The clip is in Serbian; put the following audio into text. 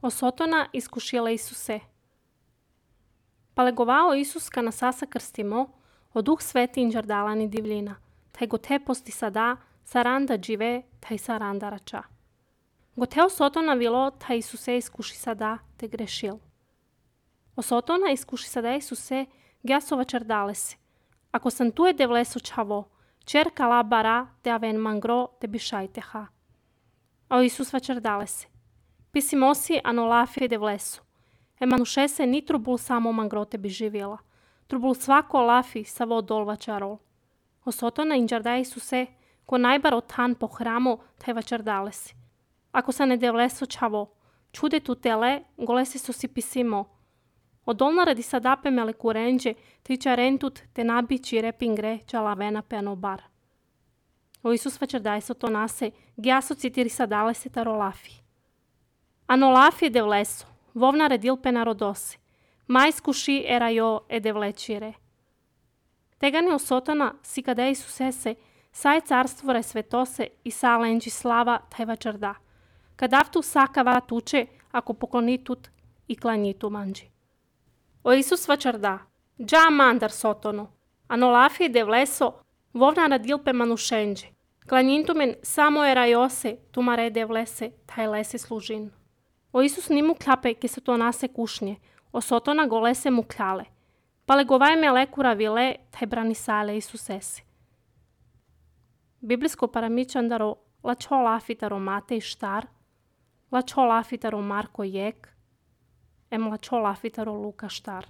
Осотона изкушила Исусе. Палеговао Исус ка на саса крстимо, о Дух Свети инджардалани дивлина, тај го те пости сада, саранда дживе, тај саранда рача. Го те осотона вило, тај Исусе изкуши сада, те грешил. Осотона изкуши сада Исусе, гјасова чардалеси. Ако сам туе девлесо чаво, черка ла бара, те авен мангро, те бишајтеха. О Исус вачардалеси. Писимоси анолафи девлесо. Еманушесе ни трубул само мангроте би живела. Трубул свако лафи са во долва чарол. Осотона инджарда Исусе, ко најбар отан по храмо, тај вачардалеси. Ако са не девлесо чаво, чуде ту теле, голеси со си писимо. Одолна ради садапе мелекурендже, ти чарентут те наби чире пингре, чалавена пенобар. O Isus večerdajso to nase, gjaso citiri sadalese tarolafi. Anolafi devleso, vovna redilpe narodosi, mais kuši erajo edevlečire. Tegane osotana si kada Isusese, saj carstvore svetose i salenđi slava taj večerda. Kadavtu sakava tuče, ako poklonitut i klanjitu manđi. O Isus večerda, dža mandar sotono, anolafi devleso, vovna radilpe manušenđe. Klanjintumen samo erajose, tumare devlese, taj lese služin. O Isus nimu klape, ke se to nase kušnje, o sotona golese mu kljale. Pale govaj me lekura vile, taj brani sale Isusesi. Biblijsko paramičandaro, lačo lafitaro Matej štar, lačo lafitaro Marko jek, lačo lafitaro Luka štar.